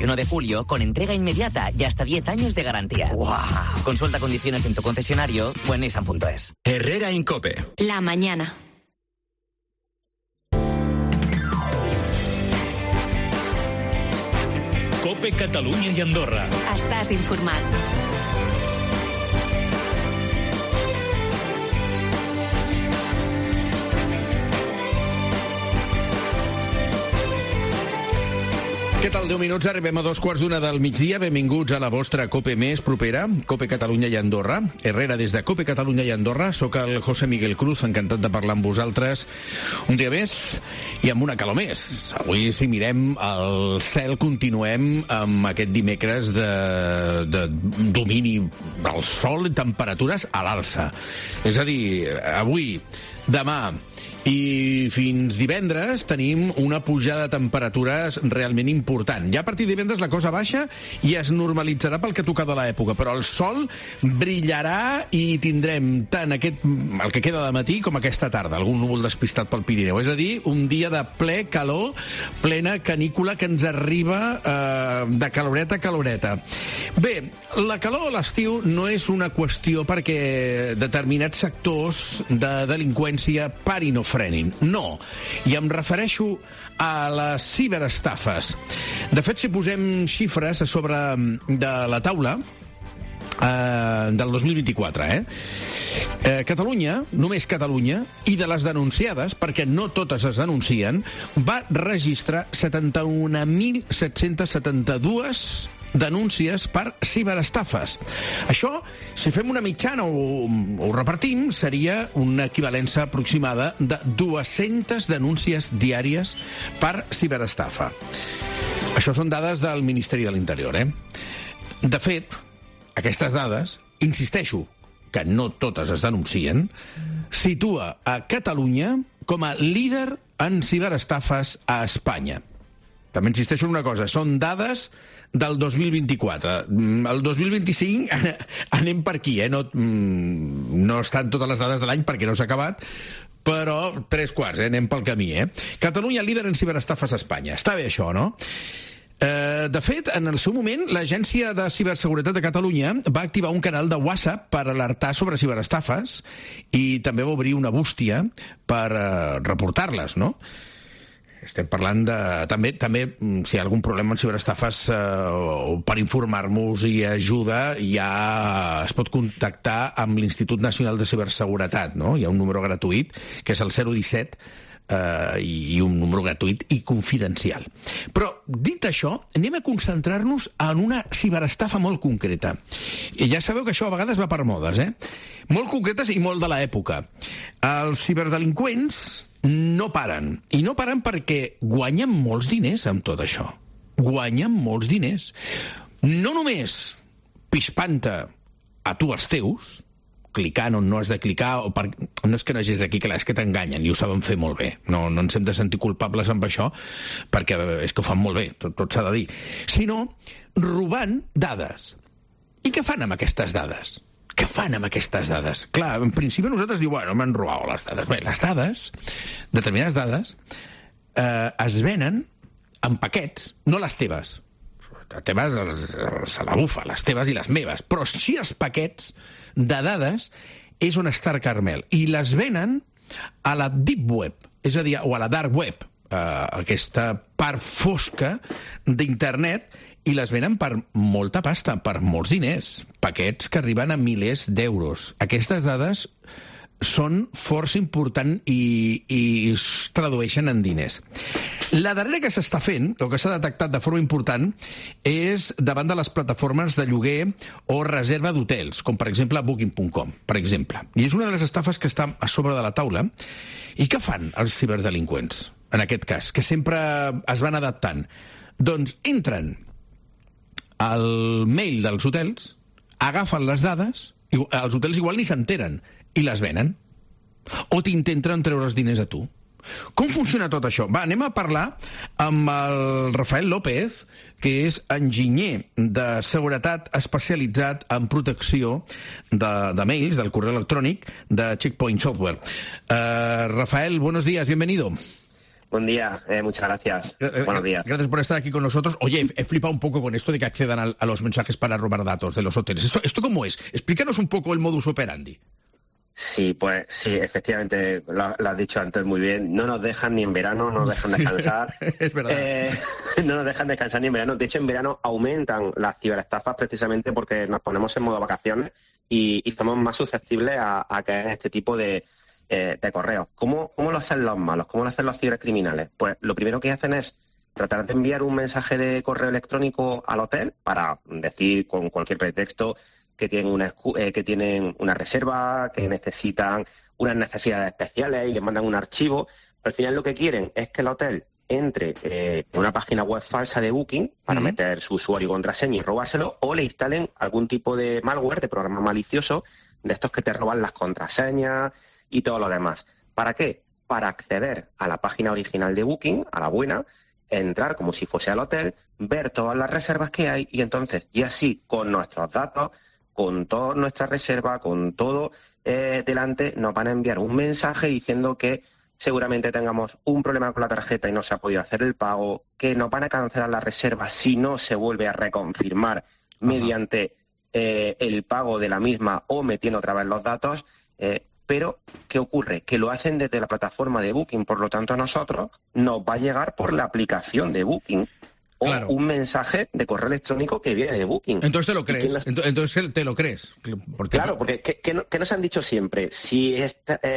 1 de julio con entrega inmediata y hasta 10 años de garantía. ¡Wow! Consulta condiciones en tu concesionario o en nissan.es. Herrera Incope. La mañana. Cope Catalunya i Andorra. Estàs informat. Què tal? 10 minuts, arribem a 2:15 del migdia. Benvinguts a la vostra Cope més propera, Cope Catalunya i Andorra. Herrera des de Cope Catalunya i Andorra. Soc el José Miguel Cruz, encantat de parlar amb vosaltres un dia més i amb una calor més. Avui, si mirem el cel, continuem amb aquest dimecres de domini del sol i temperatures a l'alça. És a dir, avui, demà i fins divendres tenim una pujada de temperatures realment important. Ja a partir de divendres la cosa baixa i es normalitzarà pel que toca de l'època, però el sol brillarà i tindrem tant el que queda de matí com aquesta tarda, algun núvol despistat pel Pirineu. És a dir, un dia de ple calor, plena canícula que ens arriba de caloreta a caloreta. Bé, la calor a l'estiu no és una qüestió perquè determinats sectors de delinqüència parin o frenin. No. I em refereixo a les ciberestafes. De fet, si posem xifres a sobre de la taula del 2024, Catalunya, només Catalunya, i de les denunciades, perquè no totes es denuncien, va registrar 71.772 denúncies per ciberestafes. Això, si fem una mitjana o ho repartim, seria una equivalència aproximada de 200 denúncies diàries per ciberestafa. Això són dades del Ministeri de l'Interior, De fet, aquestes dades, insisteixo, que no totes es denuncien, situa a Catalunya com a líder en ciberestafes a Espanya. També insisteixo en una cosa, són dades del 2024. El 2025 anem per aquí, No estan totes les dades de l'any perquè no s'ha acabat, però 3/4, anem pel camí, Catalunya líder en ciberestafes a Espanya. Està bé això, no? De fet, en el seu moment, l'Agència de Ciberseguretat de Catalunya va activar un canal de WhatsApp per alertar sobre ciberestafes i també va obrir una bústia per reportar-les, no? Estem parlant de... També si hi ha algun problema amb ciberestafes, per informar-nos i ajuda, ja es pot contactar amb l'Institut Nacional de Ciberseguretat, no? Hi ha un número gratuït, que és el 017, i un número gratuït i confidencial. Però, dit això, anem a concentrar-nos en una ciberestafa molt concreta. I ja sabeu que això a vegades va per modes, Molt concretes i molt de l'època. Els ciberdelinqüents no paren. I no paren perquè guanyen molts diners amb tot això. Guanyen molts diners. No només pispant-te a tu els teus, clicant on no has de clicar, no és que no hagis de clicar, és que t'enganyen i ho saben fer molt bé. No ens hem de sentir culpables amb això, perquè és que ho fan molt bé, tot s'ha de dir. Sinó robant dades. I què fan amb aquestes dades? Què fan amb aquestes dades? Clar, en principi nosaltres diu, bueno, m'han robat les dades. Bé, les dades, determinades dades, es venen en paquets, no les teves. Les teves se la bufa, les teves i les meves. Però sí els paquets de dades és on està el Carmel. I les venen a la Deep Web, és a dir, o a la Dark Web, aquesta part fosca d'internet, i les venen per molta pasta, per molts diners. Paquets que arriben a milers d'euros. Aquestes dades són força important i es tradueixen en diners. La darrera que s'està fent, o que s'ha detectat de forma important, és davant de les plataformes de lloguer o reserva d'hotels, com per exemple Booking.com, per exemple. I és una de les estafes que està a sobre de la taula. I què fan els ciberdelinqüents, en aquest cas, que sempre es van adaptant? Doncs entren al mail dels hotels, agafen les dades, i els hotels igual ni s'enteren, i les venen. O t'intenten treure els diners a tu. Com funciona tot això? Va, anem a parlar amb el Rafael López, que és enginyer de seguretat especialitzat en protecció de mails, del correu electrònic, de Checkpoint Software. Rafael, buenos días, bienvenido. Buen día, muchas gracias. Buenos días. Gracias por estar aquí con nosotros. Oye, he flipado un poco con esto de que accedan a los mensajes para robar datos de los hoteles. ¿Esto cómo es? Explícanos un poco el modus operandi. Sí, pues sí, efectivamente, lo has dicho antes muy bien. No nos dejan ni en verano, no nos dejan descansar. Es verdad. No nos dejan descansar ni en verano. De hecho, en verano aumentan las ciberestafas precisamente porque nos ponemos en modo vacaciones y estamos más susceptibles a caer en este tipo de correos. ¿Cómo lo hacen los malos? ¿Cómo lo hacen los cibercriminales? Pues lo primero que hacen es tratar de enviar un mensaje de correo electrónico al hotel para decir con cualquier pretexto que tienen una reserva, que necesitan unas necesidades especiales y les mandan un archivo. Al final lo que quieren es que el hotel entre en una página web falsa de Booking para meter su usuario y contraseña y robárselo, o le instalen algún tipo de malware, de programa malicioso, de estos que te roban las contraseñas y todo lo demás. ¿Para qué? Para acceder a la página original de Booking, a la buena, entrar como si fuese al hotel, ver todas las reservas que hay y entonces, y así, con nuestros datos, con toda nuestra reserva, con todo delante, nos van a enviar un mensaje diciendo que seguramente tengamos un problema con la tarjeta y no se ha podido hacer el pago, que nos van a cancelar la reserva si no se vuelve a reconfirmar mediante el pago de la misma o metiendo otra vez los datos. Pero, ¿qué ocurre? Que lo hacen desde la plataforma de Booking, por lo tanto a nosotros nos va a llegar por la aplicación de Booking. O un mensaje de correo electrónico que viene de Booking. Entonces te lo crees. Entonces te lo crees. Claro, porque ¿qué nos han dicho siempre? Si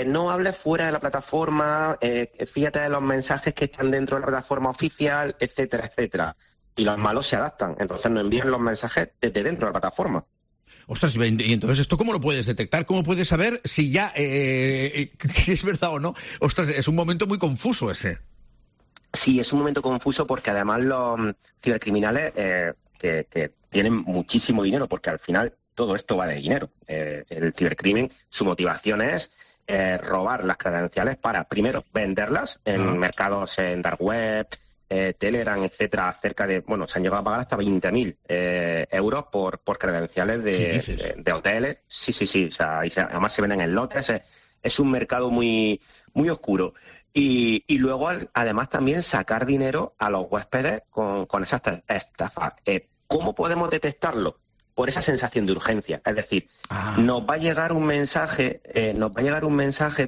no hables fuera de la plataforma, fíjate de los mensajes que están dentro de la plataforma oficial, etcétera, etcétera. Y los malos se adaptan. Entonces nos envían los mensajes desde dentro de la plataforma. Ostras, y entonces, ¿esto cómo lo puedes detectar? ¿Cómo puedes saber si ya si es verdad o no? Ostras, es un momento muy confuso ese. Sí, es un momento confuso porque además los cibercriminales que tienen muchísimo dinero, porque al final todo esto va de dinero. El cibercrimen, su motivación es robar las credenciales para, primero, venderlas en mercados en dark web, Telegram, etcétera, cerca de, se han llegado a pagar hasta 20.000 euros por credenciales de hoteles. Sí, o sea, además se venden en lotes, es un mercado muy, muy oscuro. Y luego, además, también sacar dinero a los huéspedes con esas estafas. ¿Cómo podemos detectarlo? Por esa sensación de urgencia. Es decir, nos va a llegar un mensaje,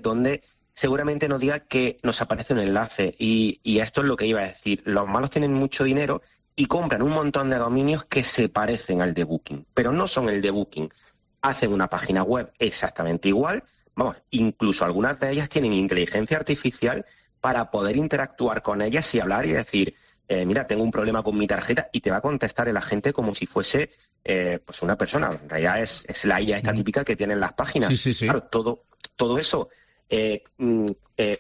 donde seguramente nos diga que nos aparece un enlace. Y esto es lo que iba a decir. Los malos tienen mucho dinero y compran un montón de dominios que se parecen al de Booking, pero no son el de Booking. Hacen una página web exactamente igual. Incluso algunas de ellas tienen inteligencia artificial para poder interactuar con ellas y hablar y decir, mira, tengo un problema con mi tarjeta, y te va a contestar el agente como si fuese pues una persona. En realidad es la IA esta típica que tienen las páginas. Sí. Claro, todo eso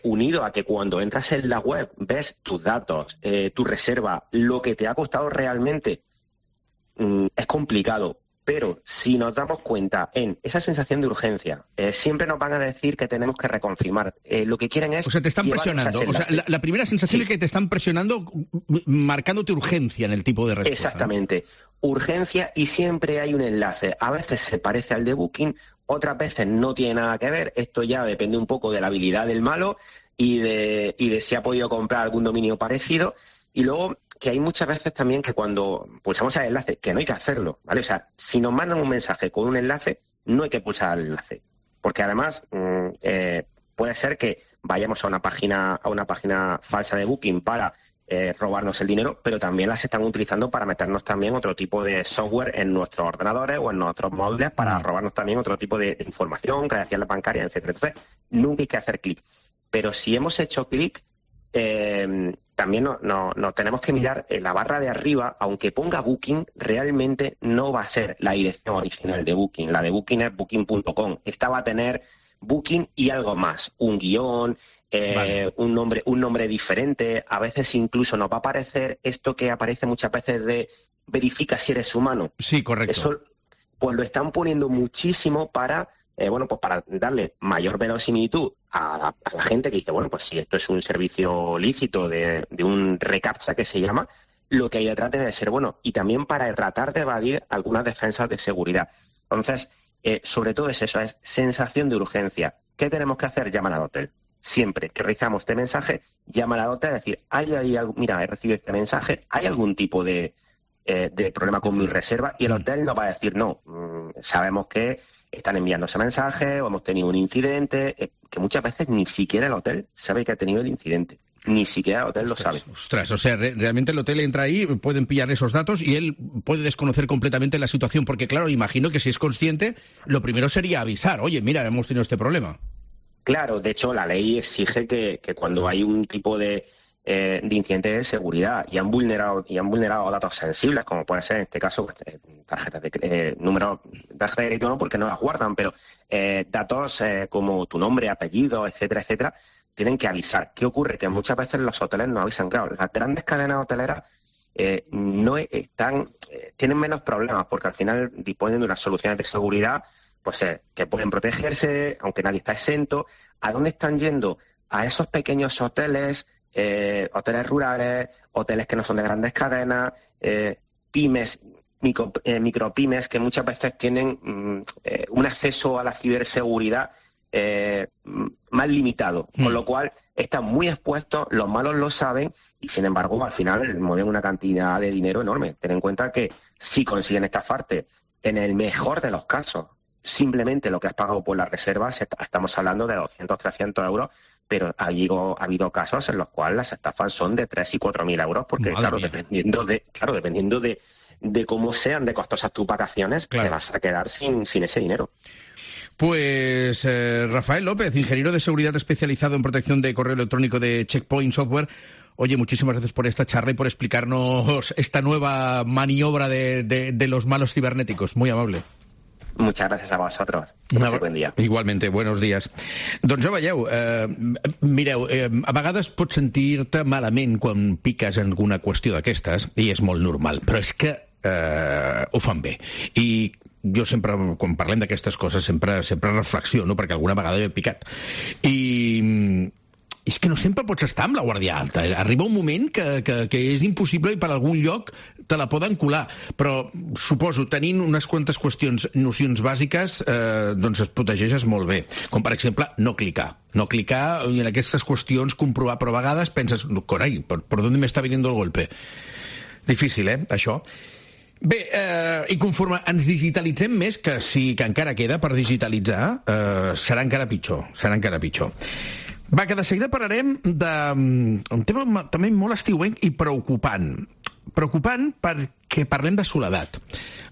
unido a que cuando entras en la web ves tus datos, tu reserva, lo que te ha costado realmente, es complicado. Pero si nos damos cuenta en esa sensación de urgencia, siempre nos van a decir que tenemos que reconfirmar. Lo que quieren es... O sea, te están presionando. O sea, la primera sensación es que te están presionando, marcándote urgencia en el tipo de respuesta. Exactamente. Urgencia, y siempre hay un enlace. A veces se parece al de Booking, otras veces no tiene nada que ver. Esto ya depende un poco de la habilidad del malo y de si ha podido comprar algún dominio parecido. Y luego, que hay muchas veces también que cuando pulsamos el enlace, que no hay que hacerlo, ¿vale? O sea, si nos mandan un mensaje con un enlace, no hay que pulsar el enlace. Porque además puede ser que vayamos a una página falsa de Booking para robarnos el dinero, pero también las están utilizando para meternos también otro tipo de software en nuestros ordenadores o en nuestros móviles para robarnos también otro tipo de información, credenciales bancarias, etcétera. Entonces, nunca hay que hacer clic. Pero si hemos hecho clic, también no tenemos que mirar en la barra de arriba. Aunque ponga Booking, realmente no va a ser la dirección original de Booking. La de Booking es booking.com. Esta va a tener Booking y algo más, un guión, un nombre diferente. A veces incluso nos va a aparecer esto que aparece muchas veces de verifica si eres humano. Sí, correcto. Eso pues lo están poniendo muchísimo para para darle mayor verosimilitud a la gente que dice, pues si esto es un servicio lícito de un reCAPTCHA que se llama, lo que hay detrás debe ser bueno, y también para tratar de evadir algunas defensas de seguridad. Entonces, sobre todo es eso, es sensación de urgencia. ¿Qué tenemos que hacer? Llamar al hotel. siempre que recibamos este mensaje, llamar al hotel y decir, mira, he recibido este mensaje, ¿hay algún tipo de problema con mi reserva? Y el hotel nos va a decir, no, sabemos que están enviando ese mensaje o hemos tenido un incidente, que muchas veces ni siquiera el hotel sabe que ha tenido el incidente. Ni siquiera el hotel lo sabe. Ostras, o sea, realmente el hotel entra ahí, pueden pillar esos datos y él puede desconocer completamente la situación, porque claro, imagino que si es consciente, lo primero sería avisar, oye, mira, hemos tenido este problema. Claro, de hecho, la ley exige que cuando hay un tipo de incidente de seguridad y han vulnerado datos sensibles, como puede ser en este caso tarjetas de número de tarjeta de crédito, no porque no las guardan, pero datos como tu nombre, apellido, etcétera, etcétera, tienen que avisar. ¿Qué ocurre? Que muchas veces los hoteles no avisan. Claro, las grandes cadenas hoteleras tienen menos problemas porque al final disponen de unas soluciones de seguridad pues que pueden protegerse, aunque nadie está exento. ¿A dónde están yendo? A esos pequeños hoteles, hoteles rurales, hoteles que no son de grandes cadenas, pymes, micropymes, que muchas veces tienen un acceso a la ciberseguridad más limitado, con lo cual están muy expuestos, los malos lo saben y sin embargo al final mueven una cantidad de dinero enorme. Ten en cuenta que si consiguen estafarte, en el mejor de los casos, simplemente lo que has pagado por las reservas, estamos hablando de 200, 300 euros, pero ha habido casos en los cuales las estafas son de 3 y 4.000 euros, porque dependiendo de cómo sean de costosas tus vacaciones, te vas a quedar sin ese dinero. Pues Rafael López, ingeniero de seguridad especializado en protección de correo electrónico de Checkpoint Software. Oye, muchísimas gracias por esta charla y por explicarnos esta nueva maniobra de los malos cibernéticos. Muy amable. Muchas gracias a vosotros. Buen dia. Igualmente, buenos días. Doncs ja veieu, mireu, a vegades pots sentir-te malament quan piques en alguna qüestió d'aquestes, i és molt normal, però és que ho fan bé. I jo sempre, quan parlem d'aquestes coses, sempre reflexiono, perquè alguna vegada he picat. I és que no sempre pots estar amb la guàrdia alta. Arriba un moment que és impossible i per algun lloc te la poden colar. Però suposo, tenint unes quantes nocions bàsiques, doncs es protegeixes molt bé. Com, per exemple, no clicar. No clicar i en aquestes qüestions comprovar, però a vegades penses, carai, ¿por dónde me está viniendo el golpe? Difícil, això? Bé, i conforme ens digitalitzem més, que sí que encara queda per digitalitzar, serà encara pitjor. Va, que de seguida parlarem d'un tema també molt estiuenc i preocupant. Preocupant perquè parlem de soledat.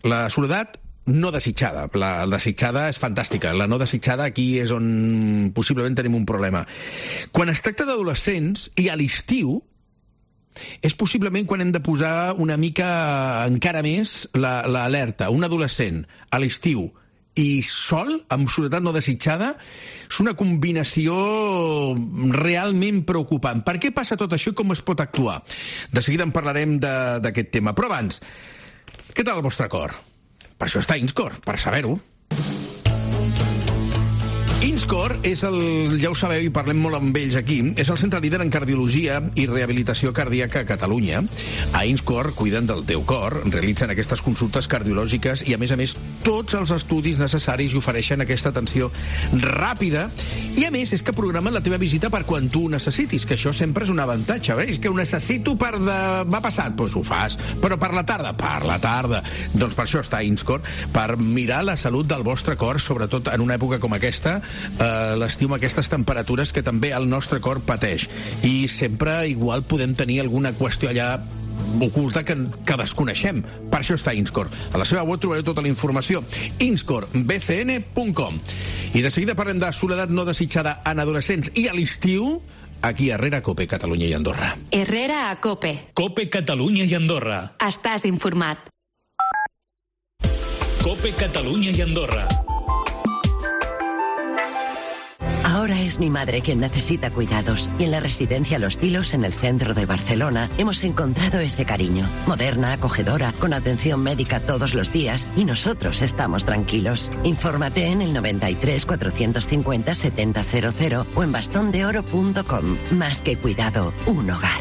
La soledat no desitjada. La desitjada és fantàstica. La no desitjada aquí és on possiblement tenim un problema. Quan es tracta d'adolescents i a l'estiu, és possiblement quan hem de posar una mica encara més l'alerta. Un adolescent a l'estiu i sol, amb soledat no desitjada, és una combinació realment preocupant. Per què passa tot això i com es pot actuar? De seguida en parlarem d'aquest tema. Però abans, què tal el vostre cor? Per això està Inscor, per saber-ho. Inscor és ja ho sabeu i parlem molt amb ells aquí, és el centre líder en cardiologia i rehabilitació cardíaca a Catalunya. A Inscor cuiden del teu cor, realitzen aquestes consultes cardiològiques i, a més, tots els estudis necessaris i ofereixen aquesta atenció ràpida. I, a més, és que programen la teva visita per quan tu ho necessitis, que això sempre és un avantatge. És que ho necessito per demà passat, doncs ho fas. Però per la tarda. Doncs per això està Inscor, per mirar la salut del vostre cor, sobretot en una època com aquesta, l'estiu amb aquestes temperatures que també el nostre cor pateix. I sempre igual podem tenir alguna qüestió allà oculta que desconeixem. Per això està Inscor. A la seva web trobareu tota la informació. inscorbcn.com. I de seguida parlem de soledat no desitjada en adolescents i a l'estiu aquí a Herrera, Cope, Catalunya i Andorra. Herrera a Cope. Cope, Catalunya i Andorra. Estàs informat. Cope, Catalunya i Andorra. Ahora es mi madre quien necesita cuidados y en la residencia Los Tilos, en el centro de Barcelona, hemos encontrado ese cariño. Moderna, acogedora, con atención médica todos los días y nosotros estamos tranquilos. Infórmate en el 93 450 7000 o en bastondeoro.com. Más que cuidado, un hogar.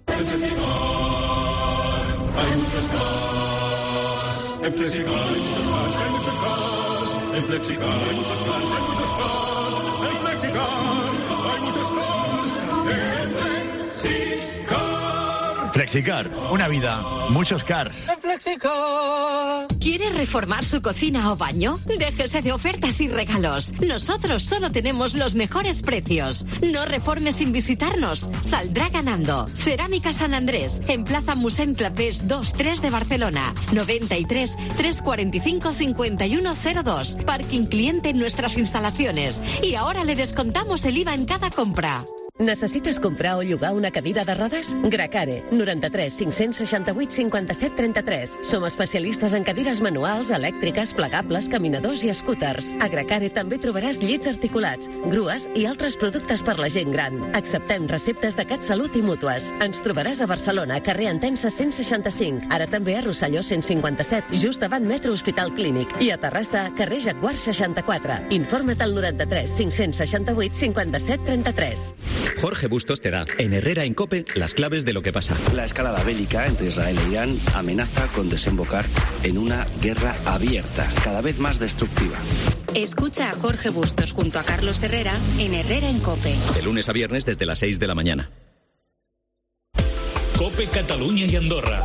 En Flexicar hay muchos más. En Flexicar hay muchos más, hay muchos más. En Flexicar hay muchos más, hay muchos más. En Flexicar hay muchos más. Flexicar, una vida, muchos cars. ¿Quiere reformar su cocina o baño? Déjese de ofertas y regalos. Nosotros solo tenemos los mejores precios. No reforme sin visitarnos. Saldrá ganando. Cerámica San Andrés, en Plaza Musent Clapés 2-3 de Barcelona. 93 345 5102. Parking cliente en nuestras instalaciones. Y ahora le descontamos el IVA en cada compra. Necessites comprar o llogar una cadira de rodes? Gracare, 93 568 57 33. Som especialistes en cadires manuals, elèctriques, plegables, caminadors i scooters. A Gracare també trobaràs llits articulats, grues i altres productes per la gent gran. Acceptem receptes de CatSalut i mútues. Ens trobaràs a Barcelona, carrer Entença 165. Ara també a Rosselló 157, just davant Metro Hospital Clínic. I a Terrassa, carrer Jaguar 64. Informa't al 93 568 57 33. Jorge Bustos te da, en Herrera en COPE, las claves de lo que pasa. La escalada bélica entre Israel e Irán amenaza con desembocar en una guerra abierta, cada vez más destructiva. Escucha a Jorge Bustos junto a Carlos Herrera en Herrera en COPE. De lunes a viernes desde las 6 de la mañana. COPE Cataluña y Andorra.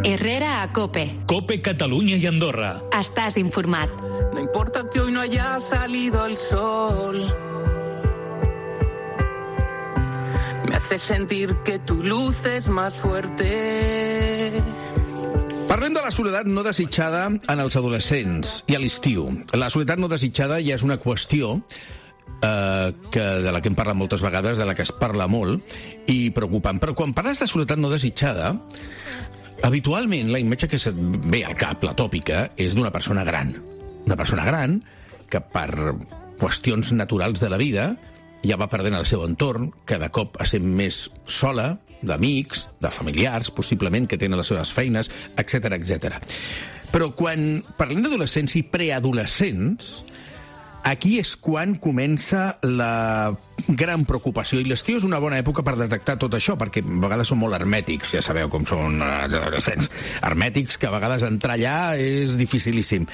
Herrera a COPE. COPE Cataluña y Andorra. Estás informat. No importa que hoy no haya salido el sol. Me hace sentir que tu luz és més fuerte. Parlem de la soledat no desitjada en els adolescents i a l'estiu. La soledat no desitjada ja és una qüestió de la que hem parlat moltes vegades, de la que es parla molt i preocupant. Però quan parles de soledat no desitjada, habitualment la imatge que se't ve al cap, la tòpica, és d'una persona gran. Una persona gran que per qüestions naturals de la vida ja va perdent el seu entorn, que de cop es sent més sola, d'amics, de familiars, possiblement, que tenen les seves feines, etc etc. Però quan parlem d'adolescents i preadolescents, aquí és quan comença la gran preocupació. I l'estiu és una bona època per detectar tot això, perquè a vegades són molt hermètics, ja sabeu com són els adolescents hermètics, que a vegades entrar allà és dificilíssim.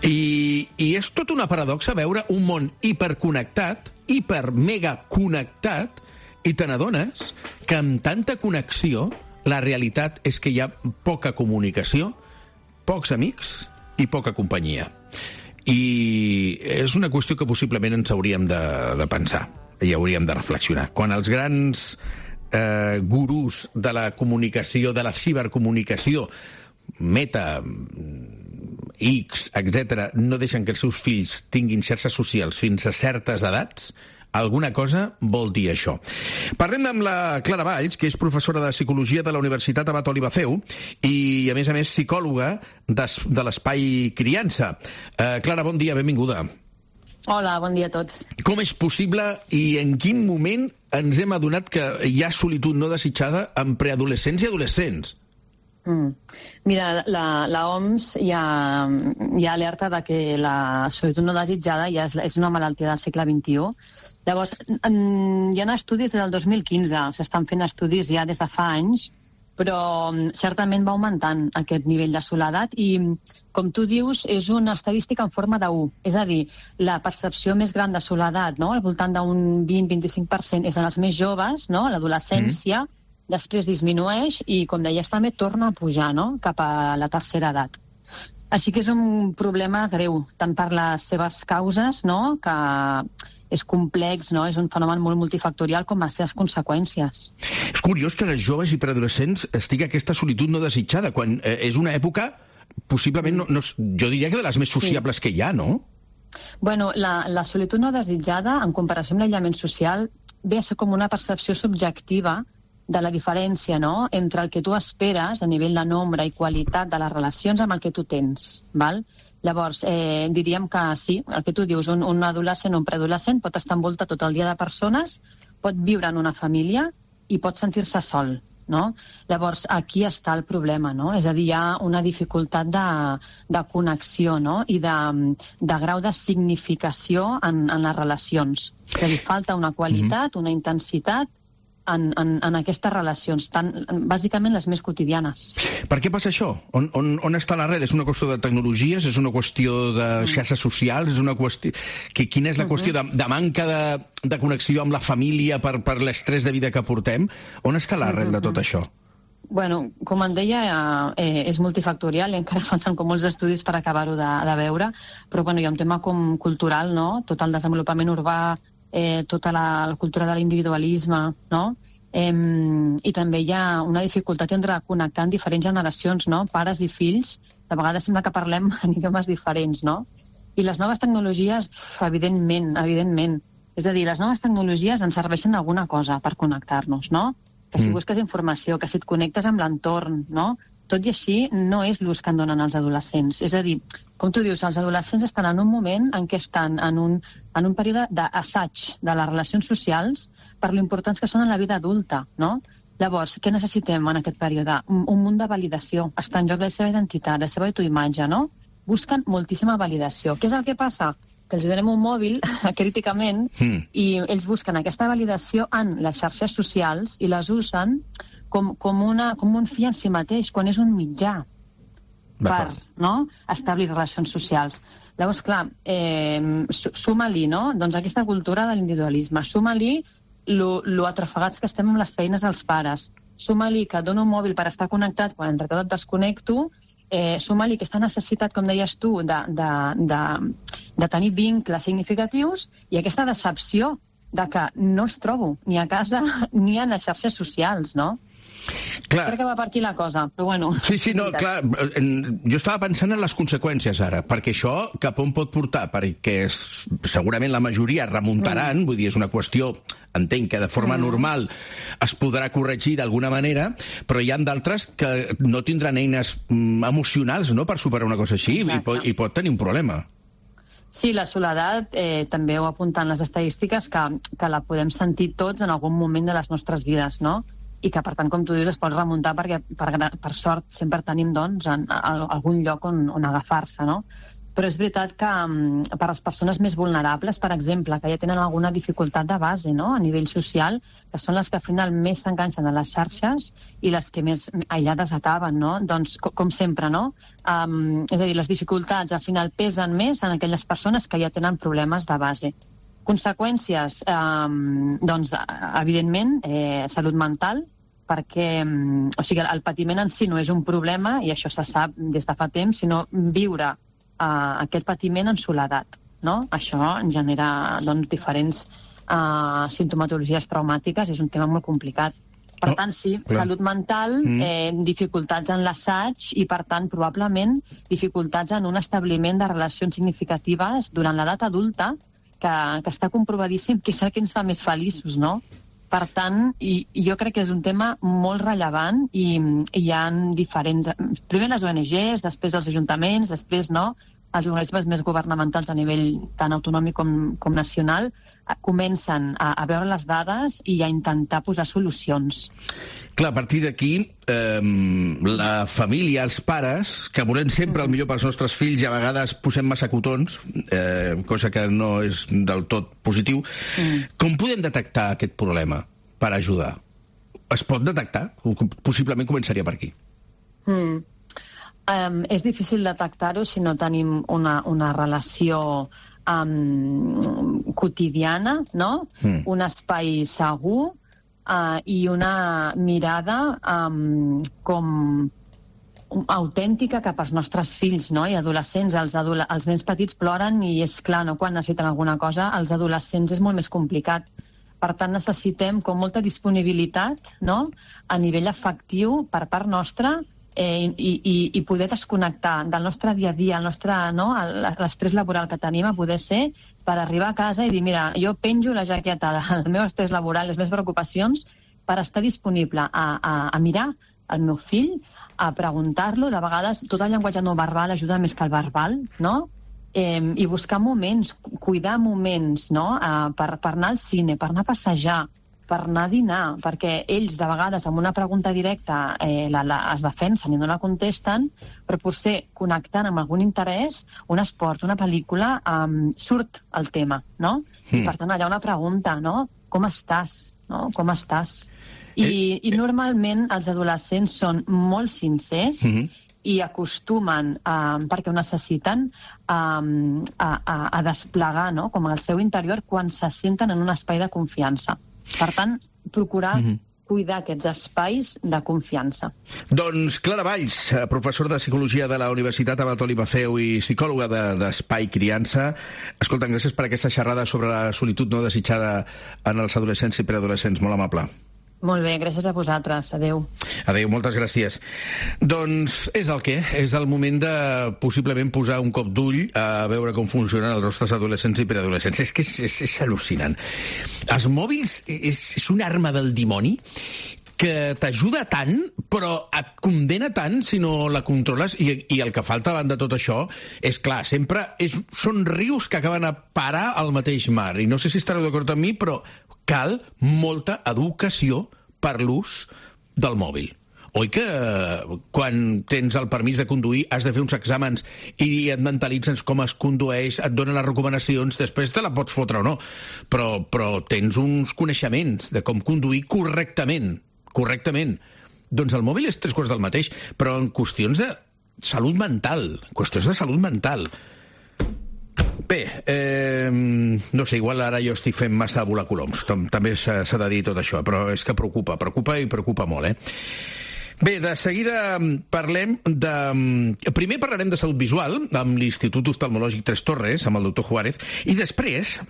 I és tot una paradoxa veure un món hiperconnectat, hiper-mega-connectat, i te n'adones que amb tanta connexió la realitat és que hi ha poca comunicació, pocs amics i poca companyia. I és una qüestió que possiblement ens hauríem de pensar i hauríem de reflexionar. Quan els grans gurús de la comunicació, de la cibercomunicació, Meta, X, etc., no deixen que els seus fills tinguin xarxes socials fins a certes edats, alguna cosa vol dir això. Parlem amb la Clara Valls, que és professora de Psicologia de la Universitat Abat Olivafeu i, a més, psicòloga de l'Espai Criança. Clara, bon dia, benvinguda. Hola, bon dia a tots. Com és possible i en quin moment ens hem adonat que hi ha solitud no desitjada en preadolescents i adolescents? Mira, la OMS ja alerta de que la solitud no desitjada ja és una malaltia del segle XXI. Llavors, hi ha estudis des del 2015, s'estan fent estudis ja des de fa anys, però certament va augmentant aquest nivell de soledat i, com tu dius, és una estadística en forma de 1. És a dir, la percepció més gran de soledat, no? Al voltant d'un 20-25% és en els més joves, no? L'adolescència, després disminueix i, com deies, també torna a pujar, no? Cap a la tercera edat. Així que és un problema greu, tant per les seves causes, no? Que és complex, no? És un fenomen molt multifactorial, com les seves conseqüències. És curiós que les joves i preadolescents estigui aquesta solitud no desitjada, quan és una època, possiblement, jo diria que de les més sociables que hi ha, no? Bueno, la solitud no desitjada, en comparació amb l'aïllament social, ve a ser com una percepció subjectiva de la diferència, no?, entre el que tu esperes a nivell de nombre i qualitat de les relacions amb el que tu tens, val? Llavors, diríem que sí, el que tu dius, un adolescent o un preadolescent pot estar envoltat tot el dia de persones, pot viure en una família i pot sentir-se sol, no? Llavors, aquí està el problema, no? És a dir, hi ha una dificultat de connexió, no?, i de grau de significació en les relacions. És a dir, falta una qualitat, una intensitat, en aquestes relacions, bàsicament les més quotidianes. Per què passa això? On està l'arrel? És una qüestió de tecnologies? És una qüestió de xarxes socials? És una qüestió... Quina és la qüestió de manca de connexió amb la família per l'estrès de vida que portem? On està l'arrel de tot això? Bueno, com en deia, és multifactorial i encara falten com molts estudis per acabar-ho de veure, però bueno, hi ha un tema com cultural, no? Tot el desenvolupament urbà, tota la cultura de l'individualisme, no? I també hi ha una dificultat entre connectar en diferents generacions, no? Pares i fills, de vegades sembla que parlem en idiomes diferents, no? I les noves tecnologies, evidentment. És a dir, les noves tecnologies ens serveixen alguna cosa per connectar-nos, no? Que si busques informació, que si et connectes amb l'entorn, no? Tot i així, no és l'ús que en donen els adolescents. És a dir, com tu dius, els adolescents estan en un moment en què estan en un període d'assaig de les relacions socials per l'importants que són en la vida adulta, no? Llavors, què necessitem en aquest període? Un munt de validació. Està en joc la seva identitat, la seva autoimatge, no? Busquen moltíssima validació. Què és el que passa? Que els donem un mòbil, críticament, i ells busquen aquesta validació en les xarxes socials i les usen com un fi en si mateix, quan és un mitjà per establir relacions socials. Llavors, clar, suma-li, no? Doncs aquesta cultura de l'individualisme. Suma-li lo atrafegats que estem amb les feines dels pares. Suma-li que dono un mòbil per estar connectat quan entre tot et desconnecto. Suma-li aquesta necessitat, com deies tu, de tenir vincles significatius i aquesta decepció de que no els trobo ni a casa ni a les xarxes socials, no? Clar. Crec que va per aquí la cosa, però bueno... Sí, no, clar, jo estava pensant en les conseqüències ara, perquè això cap on pot portar, perquè segurament la majoria remuntaran, vull dir, és una qüestió, entenc que de forma normal es podrà corregir d'alguna manera, però hi ha d'altres que no tindran eines emocionals, no?, per superar una cosa així, i pot tenir un problema. Sí, la soledat, també ho apunten les estadístiques, que la podem sentir tots en algun moment de les nostres vides, no? I que, per tant, com tu dius, es pot remuntar perquè, per sort, sempre tenim, doncs, algun lloc on agafar-se, no? Però és veritat que per les persones més vulnerables, per exemple, que ja tenen alguna dificultat de base, no?, a nivell social, que són les que al final més s'enganxen a les xarxes i les que més aïllades acaben, no? Doncs, com sempre, no? És a dir, les dificultats al final pesen més en aquelles persones que ja tenen problemes de base. Conseqüències, doncs, evidentment, salut mental, perquè el patiment en si no és un problema, i això se sap des de fa temps, sinó viure aquest patiment en soledat, no? Això genera diferents simptomatologies traumàtiques, és un tema molt complicat. Per tant, sí, salut mental, dificultats en l'assaig i, per tant, probablement dificultats en un establiment de relacions significatives durant l'edat adulta, que està comprovadíssim que és el que ens fa més feliços, no? Per tant, jo crec que és un tema molt rellevant i hi ha diferents... Primer les ONGs, després els ajuntaments, després els organismes més governamentals a nivell tant autonòmic com nacional comencen a veure les dades i a intentar posar solucions. Clar, a partir d'aquí, la família, els pares, que volem sempre el millor pels nostres fills i a vegades posem massa cotons, cosa que no és del tot positiu, com podem detectar aquest problema per ajudar? Es pot detectar? Possiblement començaria per aquí. És difícil detectar-ho si no tenim una relació quotidiana, no? Un espai segur i una mirada com autèntica cap als nostres fills, no? I adolescents. Els nens petits ploren i és clar, no? Quan necessiten alguna cosa, els adolescents és molt més complicat. Per tant, necessitem com molta disponibilitat, no?, a nivell afectiu per part nostra i poder desconnectar del nostre dia a dia, l'estrès laboral que tenim, a poder ser per arribar a casa i dir, mira, jo penjo la jaqueta del meu estrès laboral, les meves preocupacions, per estar disponible a mirar el meu fill, a preguntar-lo. De vegades tot el llenguatge no verbal ajuda més que el verbal, no? I buscar moments, cuidar moments, no? Per anar al cine, per anar a passejar, per anar a dinar, perquè ells de vegades amb una pregunta directa es defensen i no la contesten, però potser connectant amb algun interès, un esport, una pel·lícula, surt el tema, no? I per tant allà una pregunta, no? com estàs, no? Com estàs? I normalment els adolescents són molt sincers i acostumen, perquè ho necessiten, a desplegar, no? Com el seu interior quan se senten en un espai de confiança. Per tant, procurar cuidar aquests espais de confiança. Doncs Clara Valls, professor de Psicologia de la Universitat Abat Olivaceu i psicòloga d'Espai Criança. Escolta, gràcies per aquesta xerrada sobre la solitud no desitjada en els adolescents i preadolescents. Molt amable. Molt bé, gràcies a vosaltres. Adéu. Adéu, moltes gràcies. Doncs és el que? És el moment de possiblement posar un cop d'ull a veure com funcionen els nostres adolescents i preadolescents. És que és al·lucinant. Els mòbils és una arma del dimoni que t'ajuda tant, però et condena tant si no la controles, i el que falta davant de tot això és, clar, sempre són rius que acaben a parar al mateix mar, i no sé si estareu d'acord amb mi, però cal molta educació per l'ús del mòbil. Oi que quan tens el permís de conduir has de fer uns exàmens i et mentalitzes com es condueix, et donen les recomanacions, després te la pots fotre o no, però tens uns coneixements de com conduir correctament. Doncs el mòbil és 3 quarts del mateix, però en qüestions de salut mental. Bé, no sé, igual ara jo estic fent massa volacoloms. També s'ha de dir tot això, però és que preocupa molt, Bé, de seguida parlem de... Primer parlarem de salut visual amb l'Institut Oftalmològic Tres Torres, amb el doctor Juárez, i després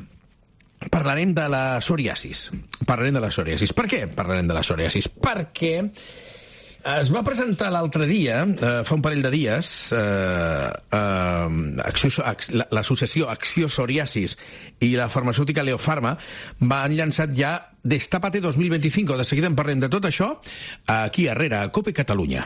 parlarem de la psoriasis. Per què parlarem de la psoriasis? Perquè es va presentar l'altre dia, fa un parell de dies, l'associació Acció Psoriasis i la farmacèutica Leofarma van llançat ja Destápate 2025. De seguida en parlem de tot això aquí a Herrera, a COPE Catalunya.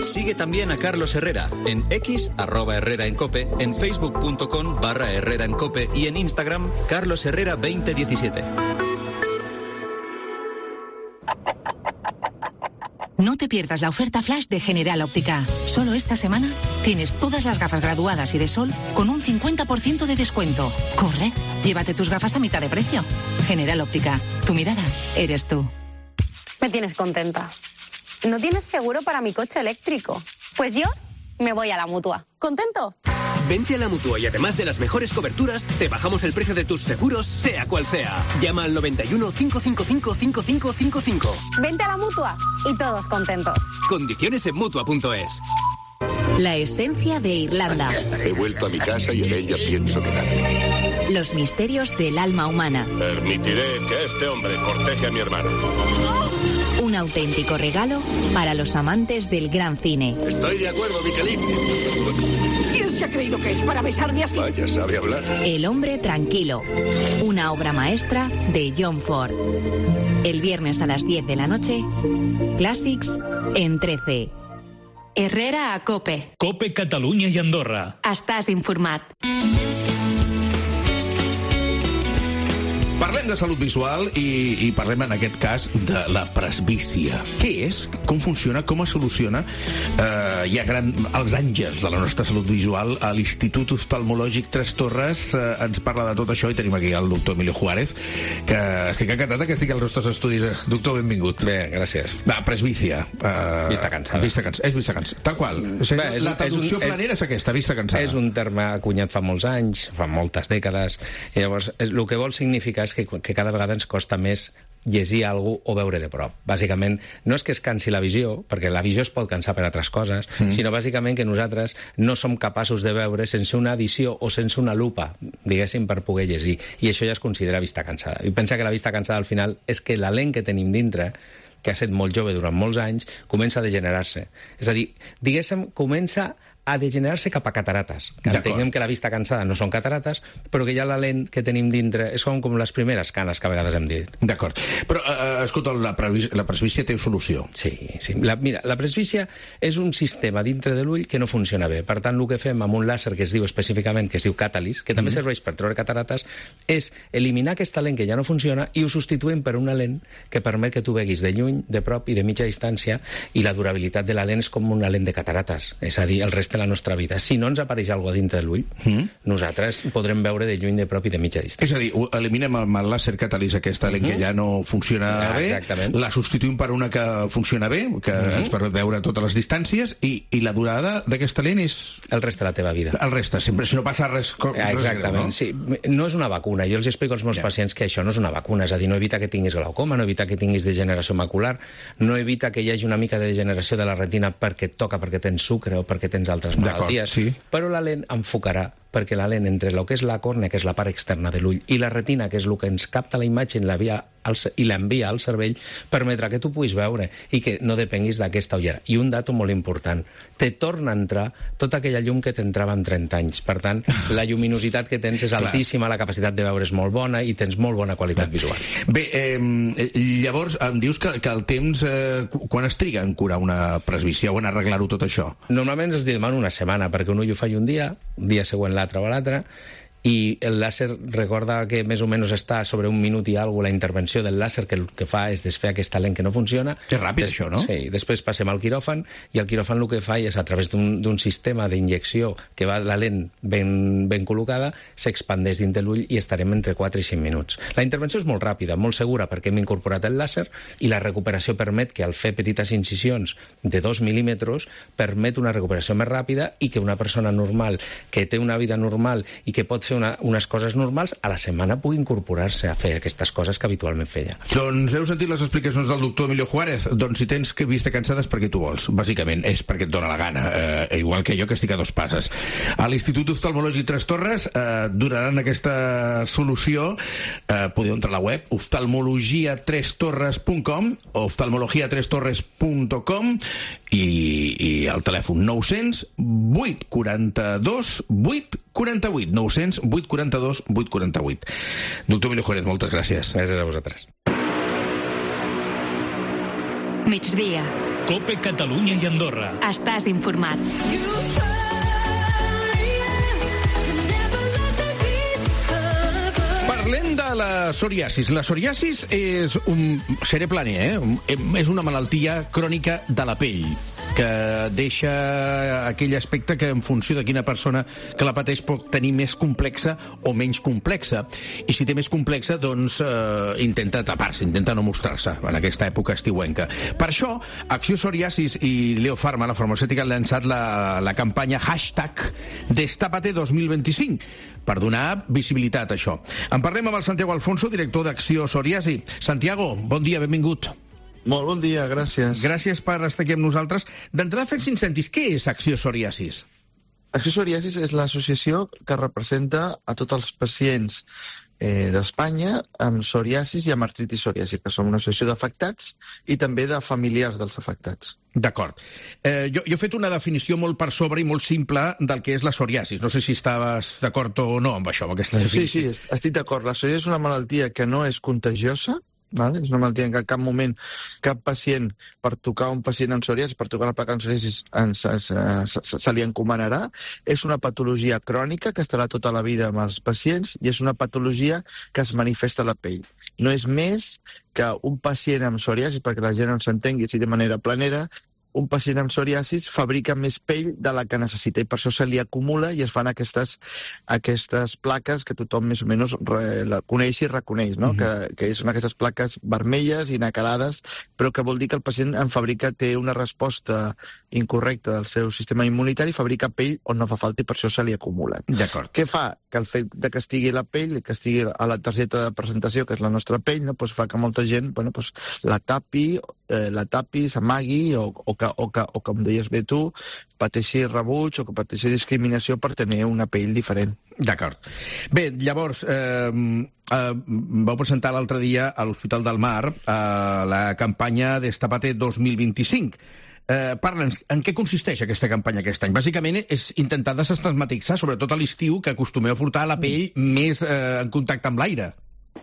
Sigue también a Carlos Herrera en X, @Herrera en Cope, en facebook.com/Herrera en Cope y en Instagram, Carlos Herrera 2017. No te pierdas la oferta flash de General Óptica. Solo esta semana tienes todas las gafas graduadas y de sol con un 50% de descuento. Corre, llévate tus gafas a mitad de precio. General Óptica, tu mirada eres tú. Me tienes contenta. ¿No tienes seguro para mi coche eléctrico? Pues yo me voy a la Mutua. ¿Contento? Vente a la Mutua y además de las mejores coberturas, te bajamos el precio de tus seguros, sea cual sea. Llama al 91 555 5555. Vente a la Mutua y todos contentos. Condiciones en Mutua.es. La esencia de Irlanda. He vuelto a mi casa y en ella pienso quedarme. Los misterios del alma humana. Permitiré que este hombre corteje a mi hermano. Un auténtico regalo para los amantes del gran cine. Estoy de acuerdo, Michelin. ¿Quién se ha creído que es para besarme así? Vaya, sabe hablar. El hombre tranquilo. Una obra maestra de John Ford. El viernes a las 10 de la noche, Clàssics en 13. Herrera a COPE. COPE Catalunya i Andorra. Estàs informat. Parlem de salut visual i parlem en aquest cas de la presbícia. Què és? Com funciona? Com es soluciona? Hi ha els àngels de la nostra salut visual a l'Institut Oftalmològic Tres Torres. Ens parla de tot això i tenim aquí el doctor Emilio Juárez, que estic encantat que estigui als nostres estudis. Doctor, benvingut. Bé, gràcies. Va, presbícia. Vista cansada. És vista cansada. Tal qual. La traducció planera és aquesta, vista cansada. És un terme acunyat fa molts anys, fa moltes dècades, i llavors el que vol significar és que cada vegada ens costa més llegir alguna cosa o veure de prop. Bàsicament, no és que es cansi la visió, perquè la visió es pot cansar per altres coses, sinó bàsicament que nosaltres no som capaços de veure sense una edició o sense una lupa, diguéssim, per poder llegir. I això ja es considera vista cansada. I pensa que la vista cansada, al final, és que la lent que tenim dintre, que ha estat molt jove durant molts anys, comença a degenerar-se. És a dir, diguéssim, comença a degenerar-se cap a catarates. Que entenguem que la vista cansada no són catarates, però que ja la lent que tenim dintre és com les primeres canes que a vegades hem dit. D'acord. Però, escolta, la presbícia té solució. Sí. Mira, la presbícia és un sistema dintre de l'ull que no funciona bé. Per tant, el que fem amb un làser que es diu específicament, que es diu Catalyst, que també serveix per treure catarates, és eliminar aquesta lent que ja no funciona i ho substituïm per una lent que permet que tu veguis de lluny, de prop i de mitja distància, i la durabilitat de la lent és com una lent de catarates. És a dir, el restant té la nostra vida. Si no ens apareix alguna cosa dintre de l'ull, nosaltres podrem veure de lluny, de prop i de mitja distància. És a dir, eliminem el làser catalís aquesta lent que ja no funciona bé, la substituïm per una que funciona bé, que ens permet veure totes les distàncies, i la durada d'aquesta lent és... El reste de la teva vida. El reste, sempre, si no passa res... Exactament, sí. No és una vacuna. Jo els explico als meus pacients que això no és una vacuna, és a dir, no evita que tinguis glaucoma, no evita que tinguis degeneració macular, no evita que hi hagi una mica de degeneració de la retina perquè et toca, perquè tens sucre o perquè tens altres malalties, però la lent enfocarà, perquè la lent entre el que és la còrnea, que és la part externa de l'ull, i la retina, que és el que ens capta la imatge i l'envia al cervell, permetrà que tu puguis veure i que no depenguis d'aquesta ullera. I un dato molt important, te torna a entrar tota aquella llum que t'entrava en 30 anys. Per tant, la lluminositat que tens és altíssima, la capacitat de veure és molt bona i tens molt bona qualitat visual. Bé, llavors em dius que el temps, quan es triga en curar una presbicia o en arreglar-ho tot això? Normalment es demana una setmana, perquè un ull ho faci un dia següent l'altre o l'altre, i el làser, recorda que més o menys està sobre 1 minut i alguna la intervenció del làser, que el que fa és desfer aquesta lent que no funciona. És ràpid, això, no? Sí, després passem al quiròfan, i el quiròfan el que fa és, a través d'un sistema d'injecció que va la lent ben col·locada, s'expandeix dins de l'ull i estarem entre 4 i 5 minuts. La intervenció és molt ràpida, molt segura, perquè hem incorporat el làser, i la recuperació permet que, al fer petites incisions de 2 mil·límetres, permet una recuperació més ràpida i que una persona normal, que té una vida normal i que pot fer unes coses normals, a la setmana pugui incorporar-se a fer aquestes coses que habitualment feia. Doncs heu sentit les explicacions del doctor Emilio Juárez. Doncs si tens vista cansada és perquè tu vols. Bàsicament és perquè et dóna la gana. Igual que jo, que estic a 2 passes. A l'Institut Oftalmològic Tres Torres donaran aquesta solució. Podeu entrar a la web oftalmologiatrestorres.com o oftalmologiatrestorres.com i el telèfon 900 842 848 900 842 848. Doctor Emilio Juárez, moltes gràcies. Gràcies a vosaltres. Migdia. COPE Catalunya i Andorra. Estàs informat. Parlem de la psoriasis. La psoriasis és seré planer, és una malaltia crònica de la pell que deixa aquell aspecte que en funció de quina persona que la pateix pot tenir més complexa o menys complexa. I si té més complexa, doncs intenta tapar-se, intenta no mostrar-se en aquesta època estiuenca. Per això, Acció Psoriasis i Leo Pharma, la farmacèutica, han llançat la campanya #Destapate 2025 per donar visibilitat a això. En parlem amb el Santiago Alfonso, director d'Acció Psoriasi. Santiago, bon dia, benvingut. Molt bon dia, gràcies. Gràcies per estar aquí amb nosaltres. D'entrada, fent incentis, què és Acció Psoriasis? Acció Psoriasis és l'associació que representa a tots els pacients d'Espanya amb psoriasis i amb artritis psoriàsica, que són una associació d'afectats i també de familiars dels afectats. D'acord. Jo he fet una definició molt per sobre i molt simple del que és la psoriasis. No sé si estaves d'acord o no amb això, amb aquesta definició. Sí, estic d'acord. La psoriasis és una malaltia que no és contagiosa, vale? És una malaltia en què en cap moment cap pacient, per tocar un pacient amb psoriasis, per tocar la placa amb psoriasis, se li encomanarà. És una patologia crònica que estarà tota la vida amb els pacients i és una patologia que es manifesta a la pell. No és més que un pacient amb psoriasis, perquè la gent no s'entengui així de manera planera, un pacient amb psoriasis fabrica més pell de la que necessita i per això se li acumula i es fan aquestes plaques que tothom més o menys la coneix i reconeix, no? Que són aquestes plaques vermelles i nacarades, però que vol dir que el pacient té una resposta incorrecta del seu sistema immunitari, fabrica pell on no fa falta i per això se li acumula. D'acord. Què fa? Que el fet que estigui la pell, que estigui a la targeta de presentació, que és la nostra pell, no? Pues fa que molta gent la tapi, s'amagui o com deies bé tu, pateixi rebuig o que pateixi discriminació per tenir una pell diferent. D'acord. Bé, llavors, vau presentar l'altre dia a l'Hospital del Mar la campanya Destapate 2025. Parla'ns, en què consisteix aquesta campanya aquest any? Bàsicament és intentar desestigmatitzar, sobretot a l'estiu, que acostumeu a portar la pell més en contacte amb l'aire.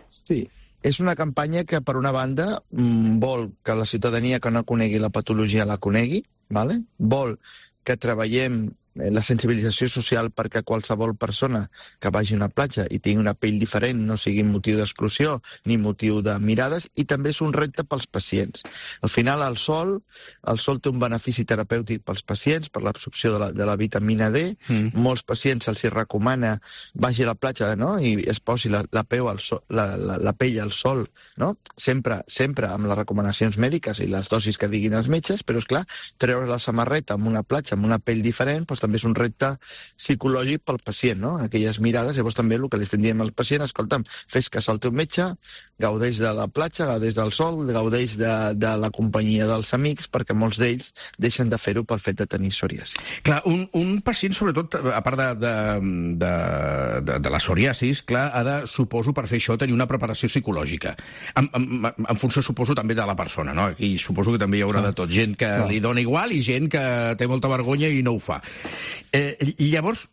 Sí. És una campanya que, per una banda, vol que la ciutadania que no conegui la patologia la conegui, ¿vale? Vol que treballem la sensibilització social perquè qualsevol persona que vagi a una platja i tingui una pell diferent no sigui motiu d'exclusió ni motiu de mirades, i també és un repte pels pacients. Al final, el sol té un benefici terapèutic pels pacients, per l'absorció de la vitamina D. Molts pacients se'ls recomana vagi a la platja, no?, i es posi la pell al sol, no? Sempre amb les recomanacions mèdiques i les dosis que diguin els metges, però, és clar, treure la samarreta en una platja amb una pell diferent, doncs també és un repte psicològic pel pacient, no? Aquelles mirades, llavors també el que li estem dient al pacient, escolta'm, fes cas al teu metge, gaudeix de la platja, gaudeix del sol, gaudeix de la companyia dels amics, perquè molts d'ells deixen de fer-ho pel fet de tenir psoriasi. Clar, un pacient, sobretot, a part de la psoriasis, clar, ha de, suposo, per fer això, tenir una preparació psicològica. En funció, suposo, també de la persona, no? Aquí suposo que també hi haurà de tot. Gent que li dona igual i gent que té molta vergonya i no ho fa. Llavors,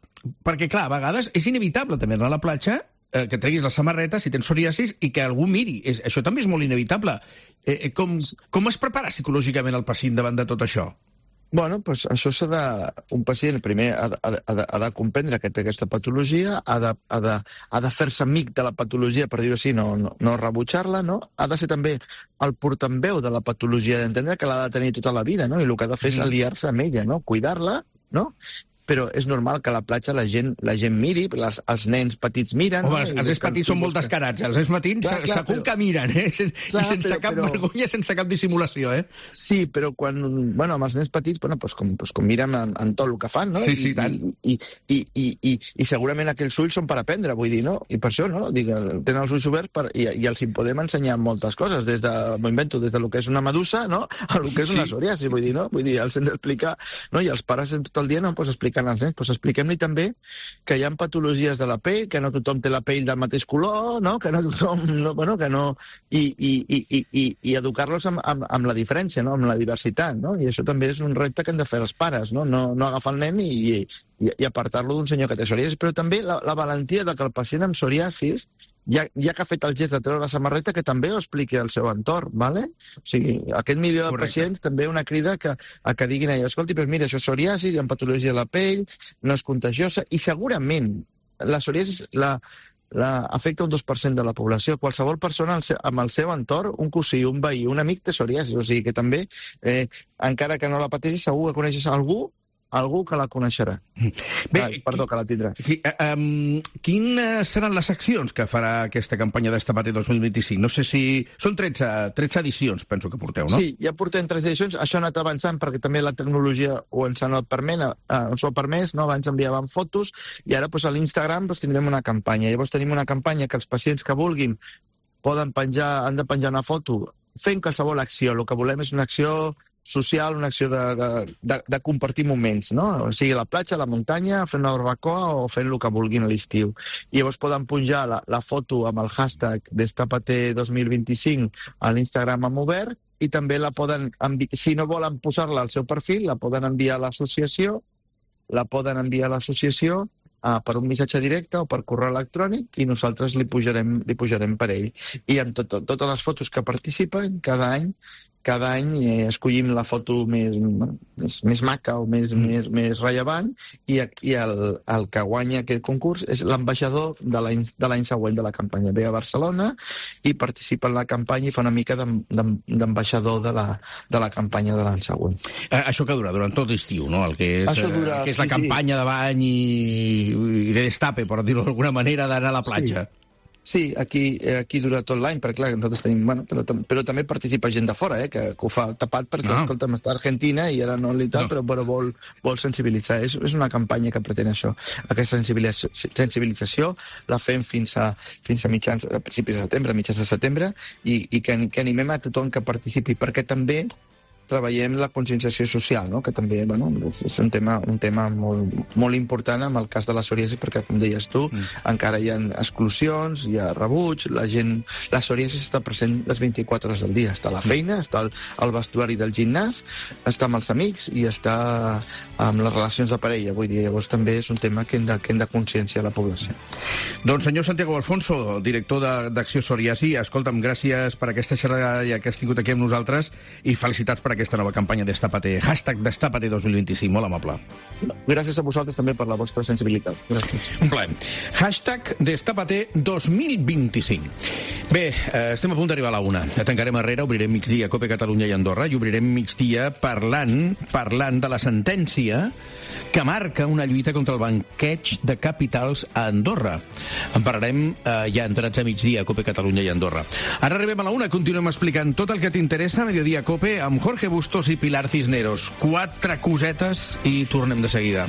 perquè, clar, a vegades és inevitable també anar a la platja, que treguis la samarreta si tens psoriasis i que algú miri. Això també és molt inevitable. Com es prepara psicològicament el pacient davant de tot això? Bueno, doncs això un pacient primer ha de comprendre que té aquesta patologia, ha de fer-se amic de la patologia, per dir-ho així, no rebutjar-la, no? Ha de ser també el portaveu de la patologia, d'entendre que l'ha de tenir tota la vida, no? I el que ha de fer és aliar-se amb ella, no? Cuidar-la, no? Però és normal que a la platja la gent miri, els nens petits miren... Home, els nens petits són molt descarats, els nens petits segur que miren, i sense cap vergonya, sense cap dissimulació, eh? Sí, però quan... Bueno, amb els nens petits, com miren en tot el que fan, no? Sí, tant. I segurament aquells ulls són per aprendre, vull dir, no? I per això, no? Tenen els ulls oberts i els hi podem ensenyar moltes coses, m'ho invento, des del que és una medusa, no?, a lo que és una psoriasi, vull dir, no? Vull dir, els hem d'explicar, no? I els pares tot el dia no pots explicar als nens, doncs expliquem-li també que hi ha patologies de la pell, que no tothom té la pell del mateix color, no? Que no tothom... I educar-los amb la diferència, no? Amb la diversitat, no? I això també és un repte que hem de fer els pares, no? No agafar el nen i apartar-lo d'un senyor que té psoriasis, però també la valentia de que el pacient amb psoriasis, ja que ha fet el gest de treure la samarreta, que també ho expliqui al seu entorn, ¿vale? O sigui, aquest milió de pacients també una crida a que diguin allò, escolti, però mira, això és psoriasis, hi ha patologia de la pell, no és contagiosa, i segurament la psoriasis afecta un 2% de la població. Qualsevol persona amb el seu entorn, un cosí, un veí, un amic té psoriasis, o sigui que també, encara que no la pateixi, segur que coneixes algú que la coneixerà. Perdó, que la tindrà. Sí, quines seran les accions que farà aquesta campanya d'Estapati 2025? No sé si... Són 13 edicions, penso que porteu, no? Sí, ja portem 13 edicions. Això ha anat avançant perquè també la tecnologia ens ha permès, no? Abans enviàvem fotos i ara a l'Instagram tindrem una campanya. Llavors tenim una campanya que els pacients que vulguin han de penjar una foto fent qualsevol acció. El que volem és una acció social, una acció de compartir moments, no? O sigui, a la platja, a la muntanya, fent una barbacoa o fent el que vulguin a l'estiu. I llavors poden punjar la foto amb el hashtag Destapate 2025 a l'Instagram amb obert i també la poden enviar, si no volen posar-la al seu perfil, la poden enviar a l'associació, per un missatge directe o per correu electrònic i nosaltres li pujarem per ell. I amb totes les fotos que participen, cada any escollim la foto més maca o més rellevant i el que guanya aquest concurs és l'ambaixador de l'any següent de la campanya. Ve a Barcelona i participa en la campanya i fa una mica d'ambaixador de la campanya de l'any següent. Això que dura durant tot l'estiu, no? El que és la campanya de bany i de destape, per dir-ho d'alguna manera, d'anar a la platja. Sí, aquí dura tot l'any, perquè clar, nosaltres tenim... Bueno, però també participa gent de fora, que ho fa tapat perquè, escolta'm, està a Argentina i ara no li tal, però vol sensibilitzar. És una campanya que pretén això. Aquesta sensibilització la fem fins a principis de setembre, mitjans de setembre, i que animem a tothom que participi, perquè també treballem la conscienciació social, no? Que també és un tema molt important en el cas de la psoriasi, perquè, com deies tu, encara hi ha exclusions, hi ha rebuig, la psoriasi està present les 24 hores del dia. Està a la feina, està al vestuari del gimnàs, està amb els amics i està amb les relacions de parella. Vull dir, llavors també és un tema que hem de conscienciar la població. Doncs, senyor Santiago Alfonso, director d'Acció Psoriasi, escolta'm, gràcies per aquesta xerrada que has tingut aquí amb nosaltres i felicitats per aquest aquesta nova campanya Destápate, #Destápate 2025. Molt amable. Gràcies a vosaltres també per la vostra sensibilitat. Gràcies. Un plaer. #Destápate 2025. Bé, estem a punt d'arribar a la 1. Tancarem Herrera, obrirem migdia Cope Catalunya i Andorra i obrirem migdia parlant de la sentència que marca una lluita contra el banqueig de capitals a Andorra. En parlarem ja entrats a migdia Cope Catalunya i Andorra. Ara arribem a la 1, continuem explicant tot el que t'interessa a Mediodía Cope amb Jorge Bustos i Pilar Cisneros. 4 cosetes i tornem de seguida.